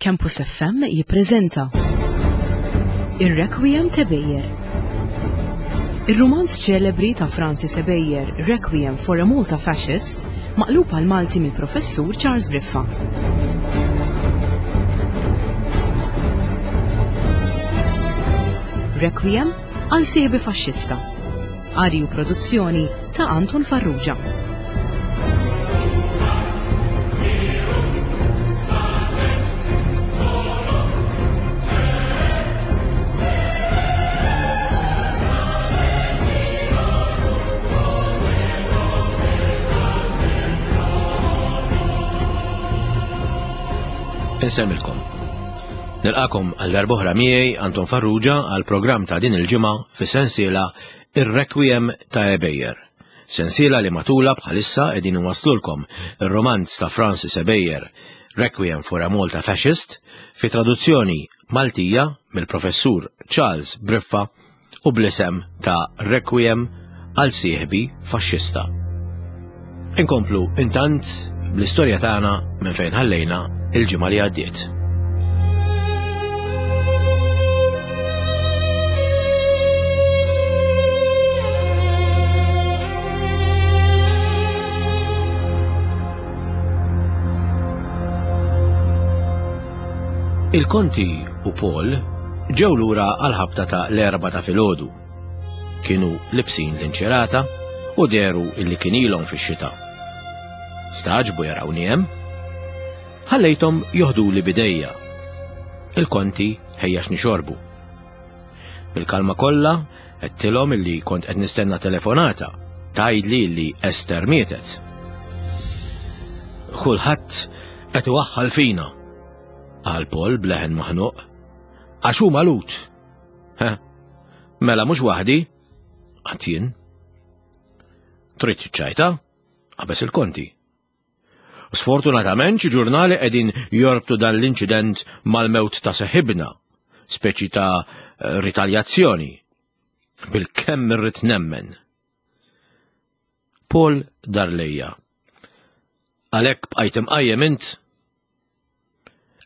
Campus FM jippreżenta Ir-Requiem ta' Bejer. Ir-rumanz ċelebri ta' Francis Ebejer, Requiem for a Malta Fascist, maqlub għal Malti mill-Professur Charles Briffa. Requiem għal sieħbi faxxista. Qari u produzzjoni ta' Anton Farrugia. Insemmilkom. Nilqakom għal darbohra miegħi Anton Farrugia għal programm ta' din il-ġimgħa fis-sensiela Ir-Requiem ta' Ebejer. Sensiela li matula bħalissa qegħdin inwasslulkom ir-romanz ta' Francis Ebejer, Requiem for a Malta Fascist, fi traduzzjoni Maltija mill-Professur Charles Briffa u bl-isem ta' Requiem għal sieħbi faxxista. Inkomplu intant bl-istorja tagħna minn fejn ħallejna il-ġimgħa li għaddiet. Il-Konti u Paul ġew lura għal-ħabta ta' l-erba ta' filgħodu. Kienu libsin l-inċerata u deru illi kien ilhom fix-xita. Staġbu jarawni hemm. Ħallejthom joħduli bidejja. Il-konti ħejja x'nixorbu. Bil-kalma kollha għedtilhom illi kont qed nistenna telefonata tgħidli illi Esther mietet. Kulħadd qed iwaħħal fina, qal Paul b'leħen maħnuq. Għax hu malut. Ha, mela mhux waħdi, għad jien. Trid ċajta? Qabeż il-konti. Sfortunatament xi ġurnali qegħdin jorbtu dan l-inċident mal-mewt ta' seħibna, speċi ta' ritaljazzjoni. Bil-kemm irrid nemmen. Paul dar lejja. Għalhekk bqajt imqajjem int?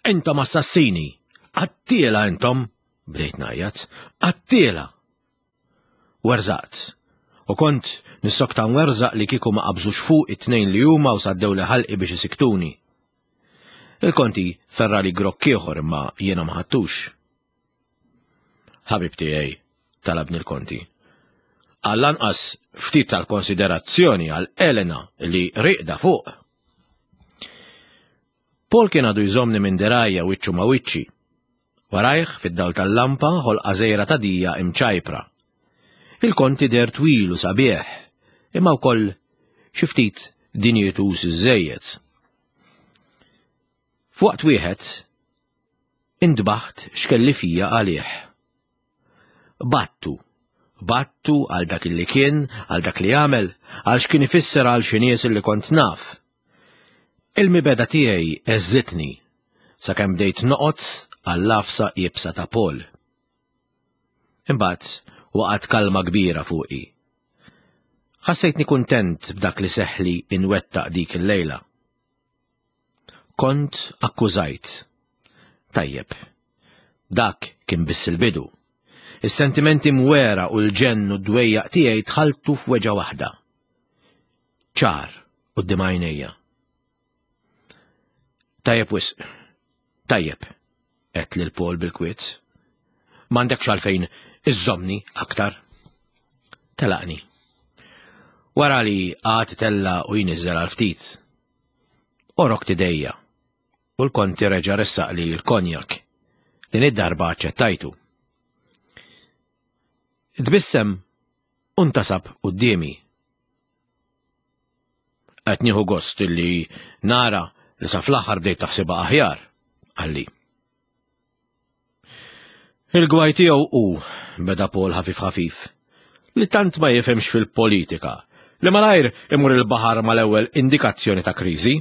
Intom assassini! Qattiela intom! Bdejt ngħajjat. Qattiela! Werżaqt. U kont nissokta nwerżaq li kieku ma qabżux fuq it-tnejn li huma u saddewli ħalqi biex isiktuni. Il-konti ferrali grokk ieħor imma jiena ma ħadtux. Ħabib tiegħi, talabni l-konti. Għall-anqas ftit tal-konsiderazzjoni għal Elena li riqda fuq. Paul kien għadu jżomni minn dirajja wiċċu ma' wiċċi. Warajh, fid-dawl tal-lampa, ħolqa żgħira ta' dija imċajpra. Il-konti deher twil u sabiħ, imma wkoll xi ftit dinjituż iżżejjed. F'waqt wieħed, intbaħt x'kelli fija għalih. Battu. Battu għal dak li kien, għal dak li għamel, għal x'kien ifisser għal xi nies li kont naf. Il-mibegħda tiegħi għeżżitni sakemm bdejt noqgħod għall-għafsa iebsa ta' Paul. Imbagħad waqgħet kalma kbira fuqi. Ħassejtni kuntent b'dak li seħħli inwettaq dik il-lejla. Kont akkużajt. Tajjeb. Dak kien biss il-bidu. Is-sentimenti mwera u l-ġenn u d-dwejjaq tiegħi tħalltu f'weġgħa waħda. Ċar quddiem għajnejja. Tajjeb wisq. Tajjeb, għedt lil Paul bil-kwiet. M'għandekx għalfejn iżżommni aktar. Telaqni. Wara li għad tella u jniżżel għal ftit. Orok tidejja u l-konti reġa' ressaqli l-konjak. Din id-darba aċċettajtu. Tbissem u ntasab quddiemi. Qed nieħu gost illi nara li sa fl-aħħar bdejt taħsibha aħjar, qalli. Il-gwaj tiegħu hu, beda Paul ħafif ħafif, li tant ma jifhimx fil-politika, li malajr imur il-baħar mal-ewwel indikazzjoni ta' kriżi.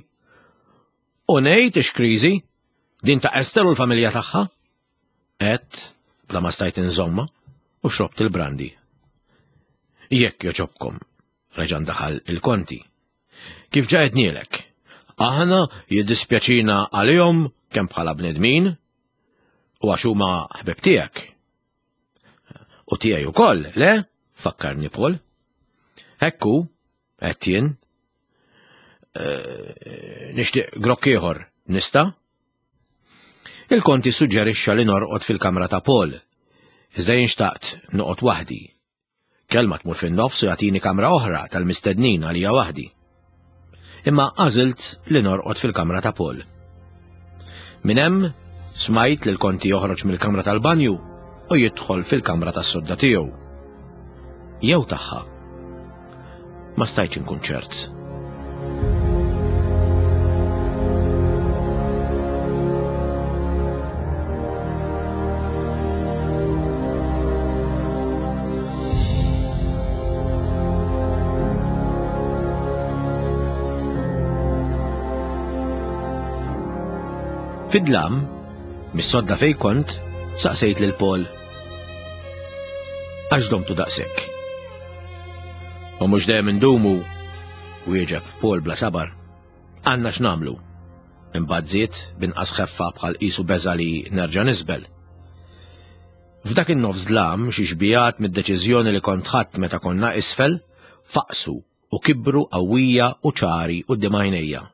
U ngħid ix kriżi, din ta' Ester u l-familja tagħha? Għedt, bla ma stajt inżommha, u xrobt il-brandi. Jekk joġobkom, reġa' ndaħal il-konti. Kif ġa għednielek, aħna jiddispjaċina għalihom Kemm bħala bnedmin u għax huma ħbib tiegħek. U tiegħi ukoll, le? Fakkarni Paul. Hekku, qed jien. Eh, nixtieq grokk ieħor, nista'? Il-konti suġġerixxa li norqod fil-kamra ta' Paul. Iżda jien xtaqt noqgħod waħdi. Kelma tmur fin-nofs u jagħtini kamra oħra tal-mistednin għalija waħdi. Imma għażilt li norqod fil-kamra ta' Paul. Minn hemm smajt li l-konti joħroġ mill-kamra tal-banju u jidħol fil-kamra tas-sodda tiegħu. Jew tagħha. Ma stajtx inkun ċert. Fid-dlam, mis-sodda fej kont, saqsejt lil Paul. Għax domtu daqshekk. U mhux dejjem indumu, wieġeb Paul bla sabar. Għandna x'nagħmlu. Imbagħad żied b'inqas ħeffa bħal qisu beża li nerġa' nisbel. F'dak in-nofs dlam xi xbijat mid-deċiżjoni li kont ħadt meta konna isfel faqsu u kibru qawwija u ċari quddiem għajnejja.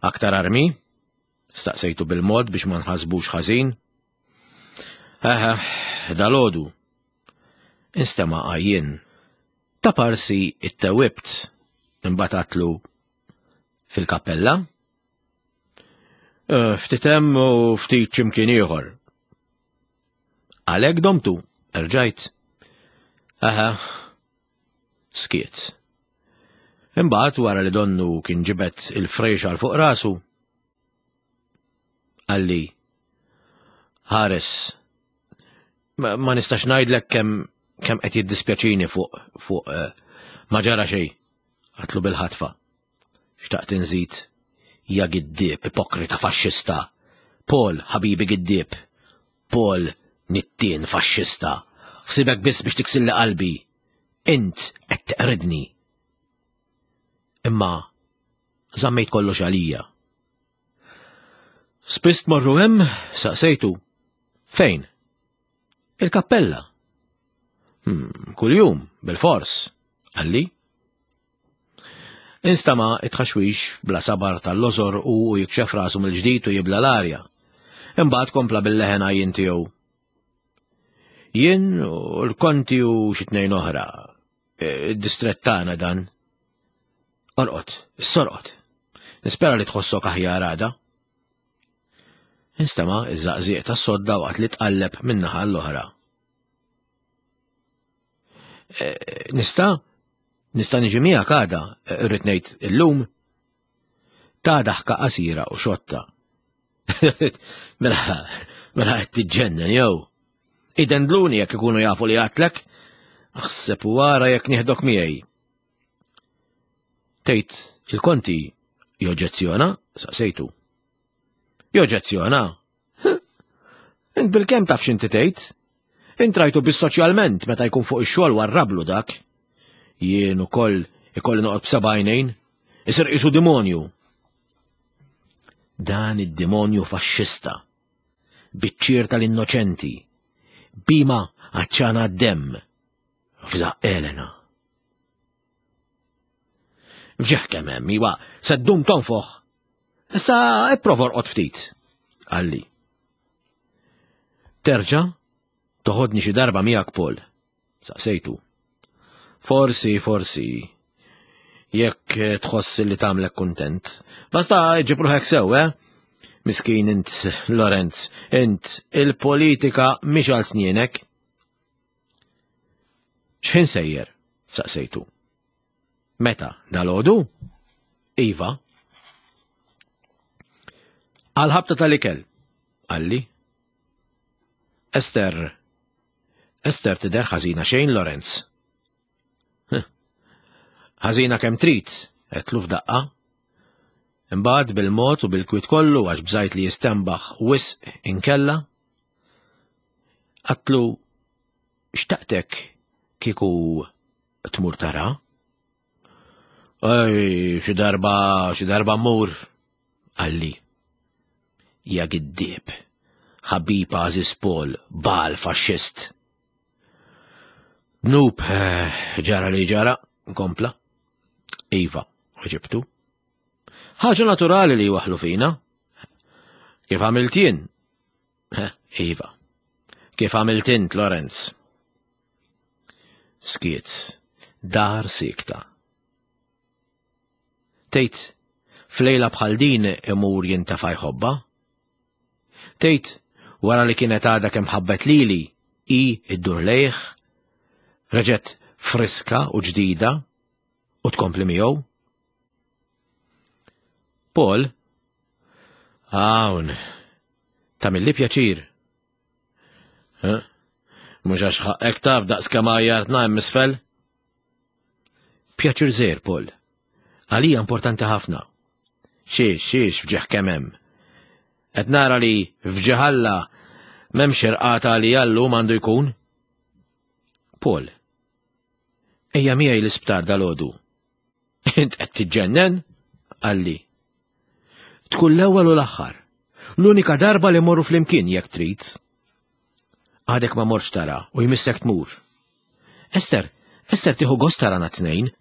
Aktar armi? Staqsejtu bil-mod biex ma nħasbux ħażin. Eħe, dalodu. Instema' għajjien. Ta' parsi ittewwibt, imbagħad għatlu fil-kappella. Eh, ftit hemm u ftit x'imkien ieħor. Għalhekk domtu, erġajt. Aha, skiet. Imbagħad wara li donnu kien ġibed il-frexa għal fuq rasu, qalli ħares ma nistax ngħidlek kemm kemm qed jiddispjaċini fuq fuq eh, ma ġara xejn għatlu bil-ħatfa. Xtaqt inżid ja giddieb ipokrita faxxista. Paul ħabibi giddieb. Paul nittien faxxista. Ħsibek biss biex tiksilli qalbi. Int qed teqridni. Imma żammejt kollox għalija. Spiss tmorru hemm? Saqsejtu. Fejn? Il-kappella. Hmm, kuljum, bil-fors, għalli. Instama it-tħaxwix bla sabar tal-lożor u jikxef rasu mill-ġdid u jibla l-arja. Imbagħad kompla bil-leħen għajjin tiegħu. Jien u l-konti u xi tnejn oħra. E, id-distrett tagħna dan. Orqod, sorqod. Nispera li tħossok aħjar għada. Instema' iż-żaqżieq tas-sodda waqt li tqalleb min-naħa l-oħra. E, nista' nista' niġi miegħek għada, e, irrid ngħid illum. Ta' daħka qasira u xotta. Mela, mela qed tiġġennen jew. Idendluni jekk ikunu jafu li għatlek, aħseb u wara jekk nieħdok miegħi. Tgħid il-konti joġġezzjona? Saqsejtu. Joġġezzjona? Int bil-kemm taf x'inti tgħid? Int rajtu biss soċjalment meta jkun fuq ix-xogħol warrablu dak. Jien ukoll ikolli noqgħod b'seba' għajnejn. Isir qisu dimonju. Dan id-dimonju faxxista, biċċier tal-innoċenti, bima għaċċana d-demm, f'żaq Elena. Fġeħ kemm hemm, iwa, se ddum tonfoħ. Issa ipprova orqod ftit, qalli. Terġa' toħodni xi darba miegħek Paul, saqsejtu. Forsi, forsi, jekk tħoss li tagħmlek kuntent. Basta ġib ruħek sew, eh? Miskin int, Lorenz, int il-politika mhix għal snienek. X'ħin sejjer? saqsejtu. Meta? Dalodu? Iva. Għal-ħabta tal-ikel, għalli. Ester, Ester tidher ħażina xejn, Lorenz. Ħażina kemm trid, għedtlu f'daqqa. Imbagħad bil-mod u bil-kwiet kollu għax bżajt li jistenbaħ wisq inkella. Għatlu xtaqtek kieku tmur tara? Ej, xi darba, xi darba mmur, għalli. Ja giddieb. Ħabib għażiż Paul, bal faxxist. Dnub, eh, ġara li ġara, kompla. Iva, weġibtu. Ħaġa naturali li waħlu fina. Kif għamilt jien? Eh, iva. Kif għamilt int, Lorenz? Skiet, dar sikta. Tgħid, f'lejla bħal din imur jintefa' jħobbha? Tgħid, wara li kienet għadha kemm ħabbet lili, hi ddur lejh, reġgħet friska u ġdida u tkompli miegħu? Paul, hawn, tagħmilli pjaċir. Mhux għax ħaqqek taf daqs kemm għajjartna hemm isfel? Pjaċir żgħir, Paul. Għalija importanti ħafna. Xiex, xiex fġieħ kemm hemm. Qed nara li fġieħ Alla m'hemmx irqata li għallum għandu jkun. Paul, ejja miegħi l-isptar dal-għodu. Int qed tiġġennen? Qalli. Tkun l-ewwel u l-aħħar. L-unika darba li morru flimkien jekk trid. Għadek ma morx tara u jmissek tmur. Ester, Ester tieħu gost tarana t-tnejn.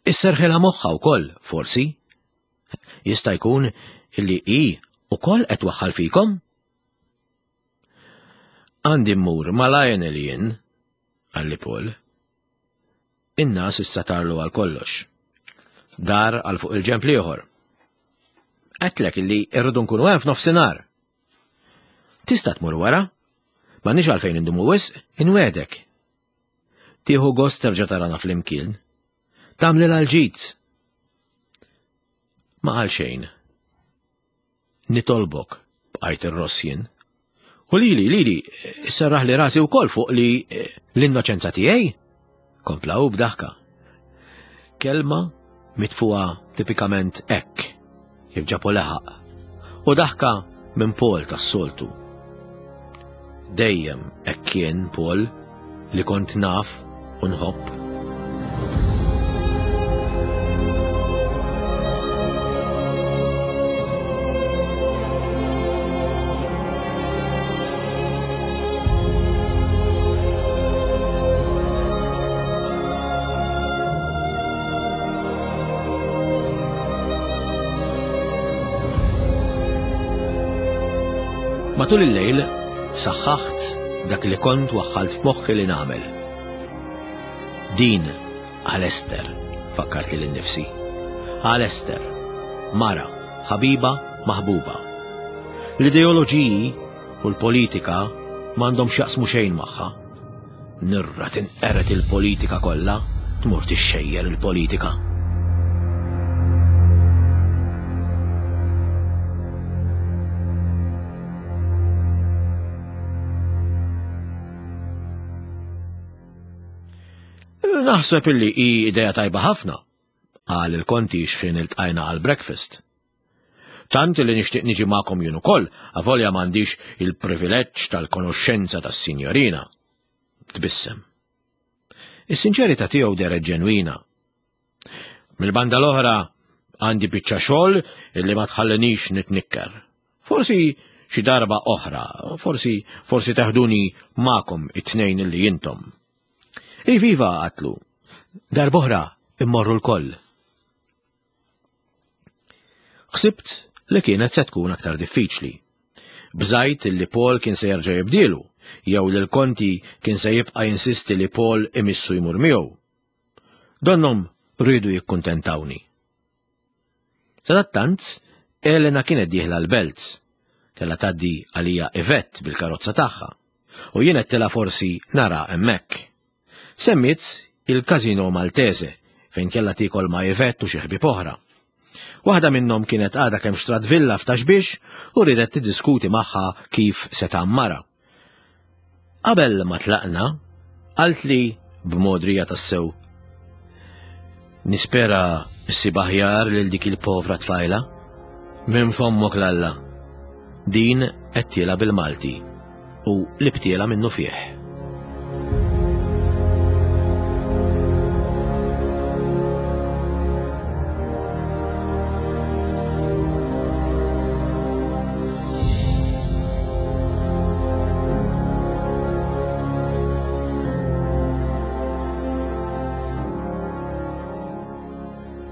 Isserħilha moħħa wkoll, forsi. Jista' jkun illi hi ukoll qed waħħal fikom? Għandi mmur ma' Lionel jien, qalli Paul. In-nas issa tarlu għal kollox. Dar għal fuq il-ġemp l-ieħor. Għedtlek illi irridu nkunu hemm f'nofsinhar. Tista' tmur wara? M'għandniex għalfejn indumu wisq, inwegħdek. Tieħu gost terġa' tarana flimkien. Tagħmlilha l-ġid. Ma qal xejn. Nitolbok, bqajt irross jien. U lili, lili, serraħli rasi wkoll fuq li eh, l-innoċenza tiegħi? Kompla hu b'daħka. Kelma mitfuha tipikament hekk, kif ġabu leħaq. U daħka minn Paul tas-soltu. Dejjem hekk kien Paul li kont naf u nħobb. Matul il-lejl saħħaħt dak li kont waħħalt f'moħħi li nagħmel. Din għal Ester, fakkart lili nnifsi. Għal Ester, mara, ħabiba, maħbuba. L-ideoloġiji u l-politika m'għandhom x'jaqsmu xejn magħha. Nirra tinqered il-politika kollha, tmur tixxejjer il-politika. Naħseb illi hi idea tajba ħafna, qal il-konti xħin iltqajna għal breakfast. Tant li nixtieq niġi magħkom jien ukoll, avolja m'għandix il-privileġġ tal-konoxxenza tas-sinjorina. Tbissem. Is-sinċerità tiegħu dehret ġenwina. Mill-banda l-oħra għandi biċċa xogħol illi ma tħallinix nitnikker. Forsi xi darba oħra, forsi forsi teħduni magħkom it-tnejn illi intom. Iviva għatlu, darb'oħra immorru l-koll. Ħsibt li kienet se tkun aktar diffiċli. Bżajt li Paul kien se jerġa' jibdielu, jew li l-Konti kien se jibqa' jinsisti li Paul imissu jmur miegħu. Donnhom riedu jikkuntentawni. Sadattant, Elena kienet dieħla l-belt. Kellha tgħaddi għalija Yvette bil-karozza tagħha, u jien għedtilha forsi nara hemmhekk. Semmiet il-Casino Maltese fejn kellha tiekol ma' Yvette u xi ħbieb oħra. Waħda minnhom kienet għadha kemm xtrat villa f'Ta' Xbiex u riedet tiddiskuti magħha kif se tgħammarha. Qabel ma tlaqna, qaltli b'mogħdrija tassew, Nispera ssib aħjar lil dik il-povra tfajla. Minn fommok l-Alla. Din qed bil-Malti. u l-ibtiela minnufih.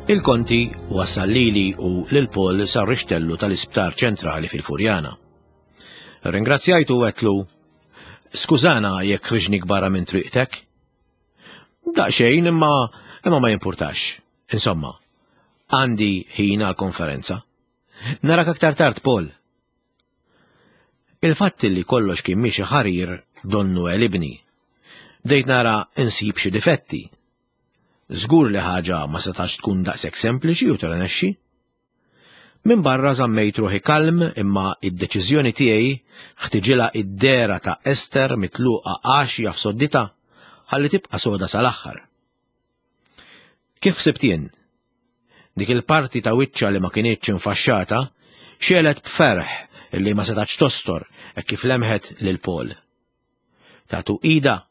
Il-Konti wassal lili u lil Paul sar-rixtellu tal-Isptar Ċentrali fil-Furjana. Ringrazzjajtu u għedtlu, Skużana jekk ħriġnik barra minn triqtek. Daqsxejn imma imma ma jimpurtax. Insomma, għandi ħin għal-konferenza. Narak aktar tard, Paul. Il-fatt li kollox kien miexi ħarir donnu għelibni. Bdejt nara insib xi difetti. Żgur li ħaġa ma setax tkun daqshekk sempliċi u tirnexxi. Minn barra żammejt ruħi kalm imma id-deċiżjoni tiegħi ħtiġilha id-dehra ta' Ester mitluqa għaxja f'sodditha ħalli tibqa' soda sal-aħħar. Kif ħsibt jien? Dik il-parti ta' wiċċha li ma kinitx infaxxata xegħlet b'ferħ li ma setgħetx tostor hekk kif lemħet lil Paul. Tatu ida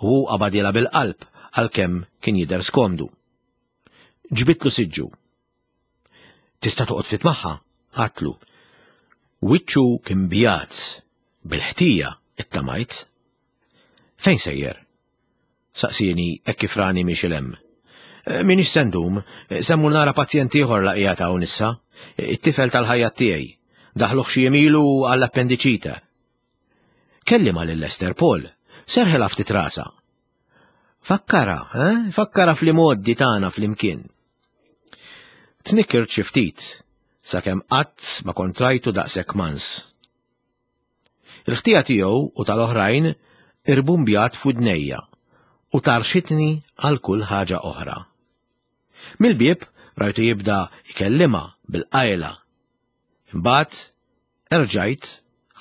u hu qabadilha bil-qalb għalkemm kien jidher skomdu. Ġbidtlu siġġu. Tista' toqgħod ftit magħha? Għatlu. Wiċċu kien bjad bil-ħtija ittamajt. Fejn sejjer? Saqsieni hekk kif rani miexi 'l hemm. Eh, Minix se ndum, eh, se mmur nara pazjent ieħor la qiegħed hawn issa, eh, it-tifel tal-ħajja tiegħi. Daħluh xi jemilu għall-appendiċite. Kellima lil Lester Paul, serħilha ftit rasha. Fakkara, eh? Fakkara fl-imoddi tagħna flimkien. Tnikkirt xi ftit, sakemm qatt ma kont rajtu daqshekk mans. Il-ħtija tiegħu u tal-oħrajn irbumbjat f'widnejja u tarxitni għal kull ħaġa oħra. Mill-bieb rajtu jibda jkellimha bil-qajla. Imbagħad erġajt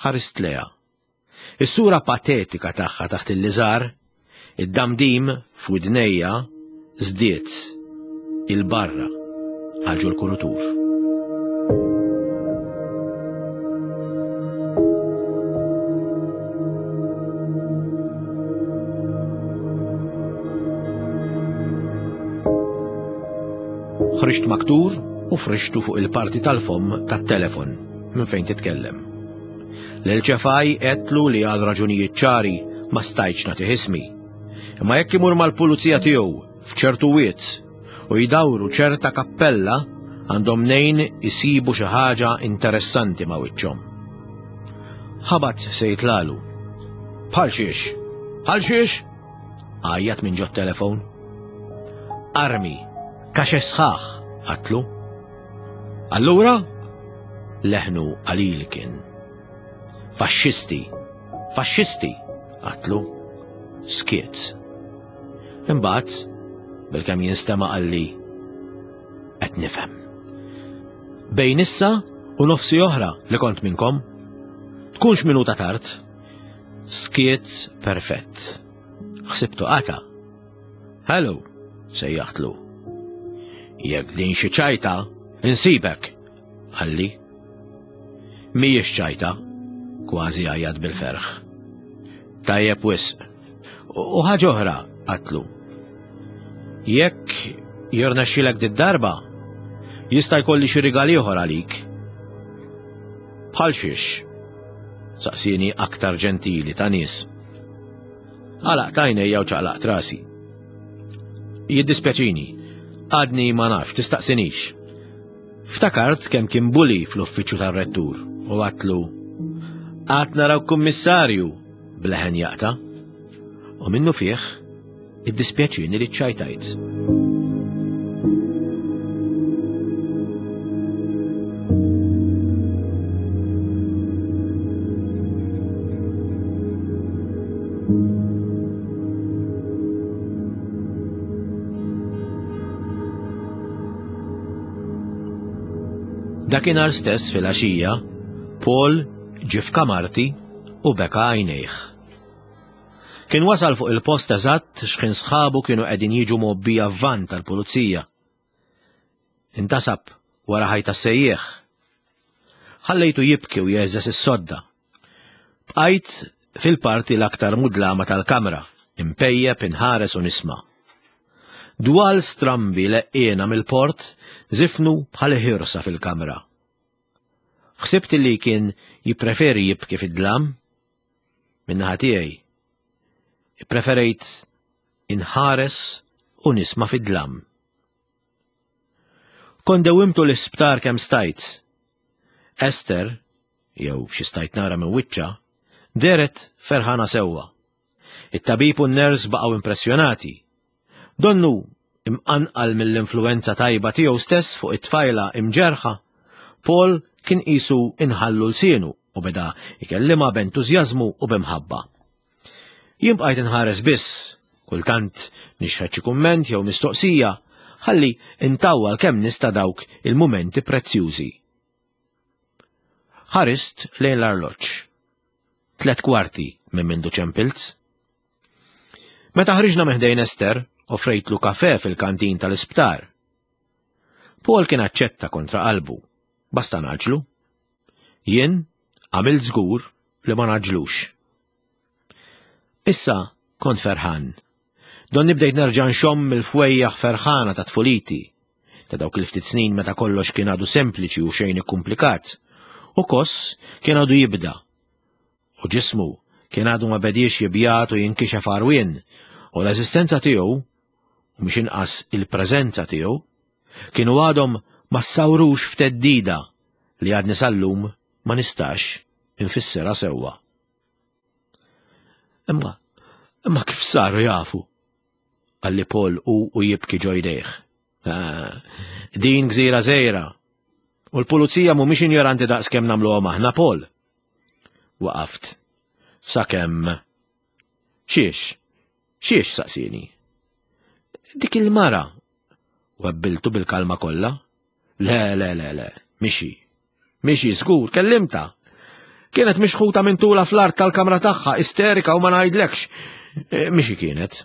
ħarist lejha. Is-sura patetika tagħha taħt il-liżar, id-damdim f'widnejja żdied 'il barra għal ġol-kurutur. Ħriġt maktur u frixtu fuq il-parti tal-fomm tat-telefon minn fejn titkellem. Lil Ċefaj għedtlu li għal raġunijiet ċari ma stajtx nagħtih ismi. Imma jekk imur mal-pulizija tiegħu f'ċertu wied u jdawru ċerta kappella għandhom mnejn isibu xi ħaġa interessanti ma' wiċċhom. Ħabat se jitlalu. Bħal xiex? Bħal xiex? Għajjat minn ġot telefon. Armi, kaxex sħaħ, għatlu. Allura, leħnu qalil kien. Faxxisti, faxxisti, għatlu. Skiet. Imbagħad, bilkemm jinstema' qalli, qed nifhem. Bejn issa u nofsi oħra li kont minnkom. Tkunx minuta tard. Skiet perfett. Ħsibtu qata'. Hello, sejjaħtlu. Jekk din xi ċajta, insibek, qalli. Mhijiex ċajta, kważi għajjat bil-ferħ. Tajjeb wisq. U ħaġa oħra, qatlu. Jekk jirnexxilek did-darba, jista' jkolli xi rigal ieħor għalik. Bħal xiex? Saqsieni aktar ġentili ta' nies. Għalaqt għajnejja u ċaqlaqt rasi. Jiddispjaċini, għadni ma nafx, tistaqsinix. Ftakart kemm kien buli fl-uffiċċju tar-rettur u għatlu Għad naraw kummissarju bleħen jaqta. U minnu fih, iddispjaċini li ċċajtajt. Dakinhar stess filgħaxija, Paul ġie f'kamarti u beka għajnejh. Kien wasal fuq il-post eżatt x'ħin sħabu kienu qegħdin jiġu mgħobbija f'van tal-pulizija. Intasab wara ħajta sejjieħ. Ħallejtu jibki u jeżżeż is-sodda. Bqajt fil-parti l-aktar mudlama tal-kamra, impejjep inħares u nisma'. Dwal strambi leqqiena mill-port żifnu bħal ħirsa fil-kamra. Ħsibt li kien jippreferi jibki fid-dlam. Min-naħa tiegħi, ippreferejt inħares u nisma' fid-dlam. Kont dewimtu l-isptar kemm stajt. Esther, jew xi stajt nara minn wiċċha, dehret ferħana sewwa. It-tabib u n-ners baqgħu impressjonati. Donnu imqanqal mill-influwenza tajba tiegħu stess fuq it-tfajla imġerħa, Paul kien qisu inħallu lsienu u beda jkellimha b'entużjażmu u b'imħabba. Jien bqajt inħares biss, kultant nixħet xi kumment jew mistoqsija, ħalli intawwal kemm nista' dawk il-mumenti prezzjużi. Ħarist lejn l-arloġġ. 3:15 minn mindu ċempilz. Meta ħriġna minn ħdejn Ester, offrejtlu kafe fil-kantin tal-isptar. Paul kien aċċetta kontra qalbu, basta naġlu. Jien għamilt żgur li ma naġlux. Issa kont ferħan. Donni bdejt nerġa' nxomm il-fwejjaħ ferħana ta' tfuliti, ta' dawk il-ftit snin meta kollox kien għadu sempliċi u xejn ikkumplikat, u Koss kien għadu jibda. U ġismu kien għadu ma bediex jibjat u jinkixef għarwien, u l-eżistenza tiegħu, u mhux inqas il-preżenza tiegħu, kienu għadhom ma ssawrux f'teddida li għadni sal-lum ma nistax infissirha sewwa. Imma, imma kif saru jafu? Qalli Paul u u jibki ġo jdejh. Ah, din gżira żgħira. U l-pulizija mhumiex injoranti daqs kemm nagħmluhom aħna Paul. Waqaft. Sakemm. Xiex? Xiex saqsini? Dik il-mara. Webbiltu bil-kalma kollha. Le, le, le, le, mixi. Mixi, żgur, kellimta. Kienet mixħuta minn tula fl-art tal-kamra tagħha, isterika u ma ngħidlekx. E, mixi kienet.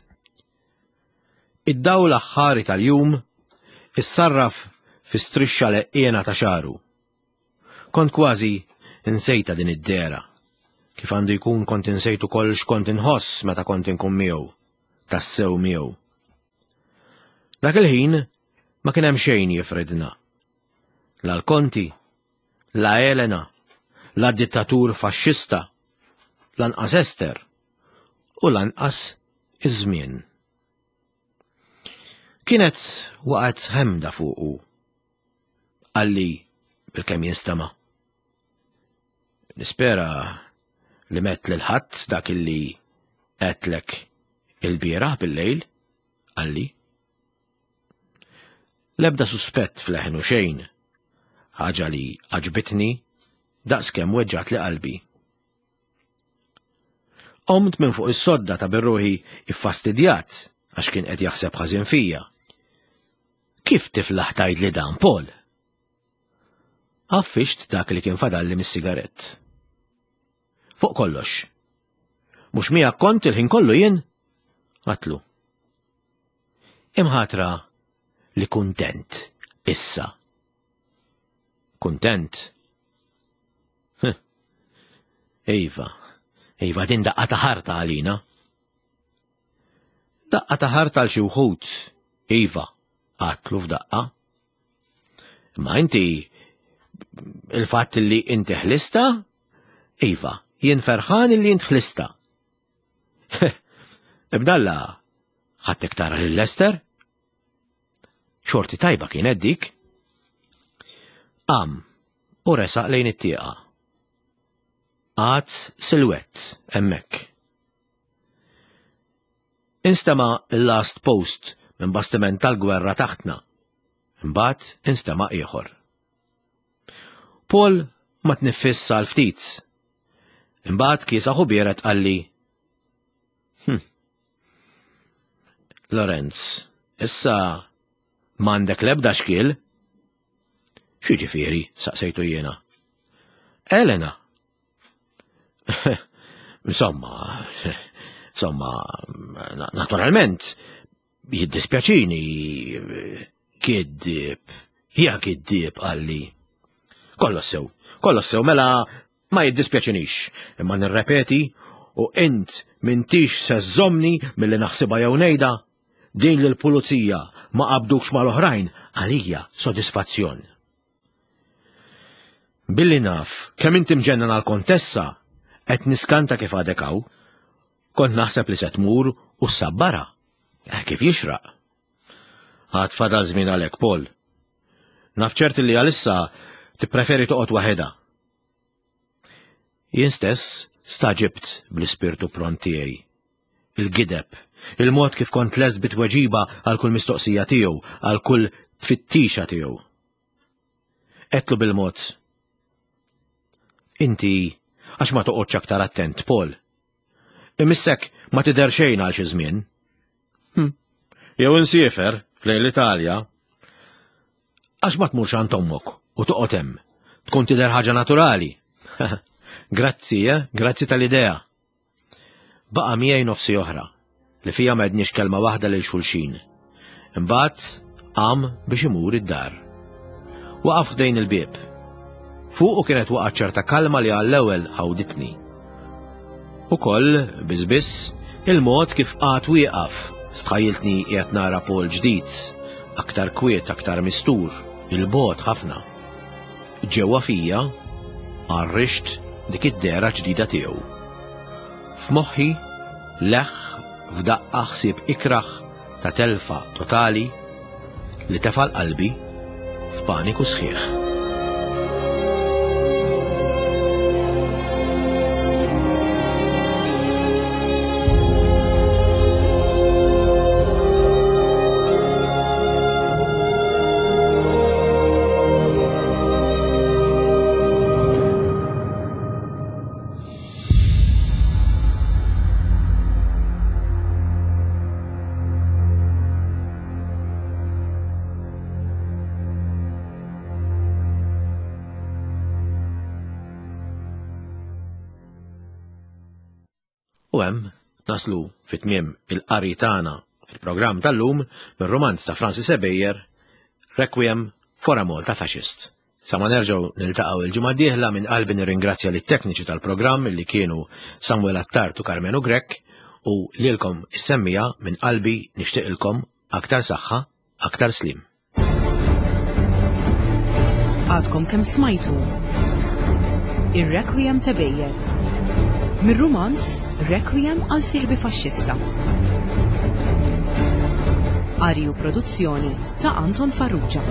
Id-dawl aħħari tal-jum issarraf fi strixxa leqqiena ta' xaru. Kont kważi insejta din id-dera. Kif għandu jkun kont insejt ukoll x'kont inħoss meta kont inkun miegħu, tassew miegħu. Dak il-ħin ma kien hemm xejn jifridna. La l-Konti, la Elena, la dittatur faxxista, lanqas Ester u lanqas iż-żmien. Kienet waqgħet ħemda fuqu. Qalli bil-kemm jinstema'. Nispera li met lil ħadd dak illi għedtlek il-bieraħ bil-lejl, qalli. L-ebda suspett f'leħnu xejn, ħaġa li għaġbitni daqskemm weġġgħatli qalbi. Qomt minn fuq is-sodda ta' birruħi iffastidjat għax kien qed jaħseb ħażin fija. Kif tiflaħ tgħidli dan, Paul? Għaffixt dak li kien fadalli mis-sigarett. Fuq kollox. Mhux miegħek kont il-ħin kollu jien? Għatlu. Imħatra li kuntent issa. Kuntent? Iva, iva din daqqa ta' ħarta għalina. Daqqa ta' ħarta għal xi wħud, iva, għatlu f'daqqa. Ma inti il-fatt li inti ħlista? Iva, jien ferħan li int ħlista. Ibdalla, ħattek tara lil Lester? Xorti tajba kienet dik. Qam u resaq lejn it-tieqa. Għad silwett hemmhekk. Instema' l-last post minn bastiment tal-gwerra taħtna. Imbagħad instema' ieħor. Paul ma tniffiss għal ftit. Imbagħad kiesaħ u biered qalli, Hm. Lorenz, issa m'għandek l-ebda xkiel? X'jiġifieri? saqsejtu jiena. Elena. Insomma, insomma, naturalment, jiddispjaċini, kiddib, ja kiddib qalli. Kollox sew, kollox sew, mela ma jiddispjaċinix, imma nirrepeti u int mintix se żżommni milli naħsibha jew ngħidha, din li l-pulizija ma qabdukx mal-oħrajn għalija sodisfazzjon. Billi naf kemm inti mġennan għall-kontessa, qed niskanta kif għadek hawn. Kont naħseb li se tmur u ssabbarha. Eh, kif jixraq. Għad fadal żmien għalek, Paul. Naf ċert li għalissa tippreferi toqgħod waħedha. Jien stess staġibt bl-ispirtu pront tiegħi. Il-gideb, il-mod kif kont lest bit-tweġiba għal kull mistoqsija tiegħu, għal kull tfittixa tiegħu. Għedtlu bil-mod. Inti għax ma toqgħodx aktar attent, Paul. Imissek ma tidher xejn għal xi żmien. Hm. Jew insiefer lejn l-Italja. Għax ma tmurx għand ommok u toqgħod hemm. Tkun tidher ħaġa naturali. Grazzi, eh? Grazzi tal-idea. Baqa' miegħi nofsi oħra, li fija ma għedniex kelma waħda lil xulxin. Imbagħad qam biex imur id-dar. Waqaf ħdejn il-bieb. Fuqu kienet waqgħet ċerta kalma li għall-ewwel ħawditni. Ukoll, biss biss, il-mod kif qagħad wieqaf, stħajjiltni qiegħed nara Paul ġdid, aktar kwiet, aktar mistur, il-bogħod ħafna. Ġewwa fija għarrixt dik id-dehra ġdida tiegħu. F'moħħi leħħ f'daqqa ħsieb ikrah ta' telfa totali li tefa' l-qalbi f'paniku sħiħ. U hemm naslu fi tmiem il-qari tagħna fil-programm tal-lum mir-rumanz ta' Francis Ebejer, Requiem for a Malta Fascist. Sa ma nerġgħu niltaqgħu il-ġimgħa d-dieħla minn qalbi nirringrazzja lit-tekniċi tal-programm li kienu Samuel Attard u Karmenu Grech u lilkom is-semmija minn qalbi nixtieqilkom aktar saħħa, aktar sliem. Għadkom kemm smajtu Ir-Requiem ta' Beyer. Mir-rumanz Requiem għal sieħbi faxxista. Qari u produzzjoni ta' Anton Farrugia.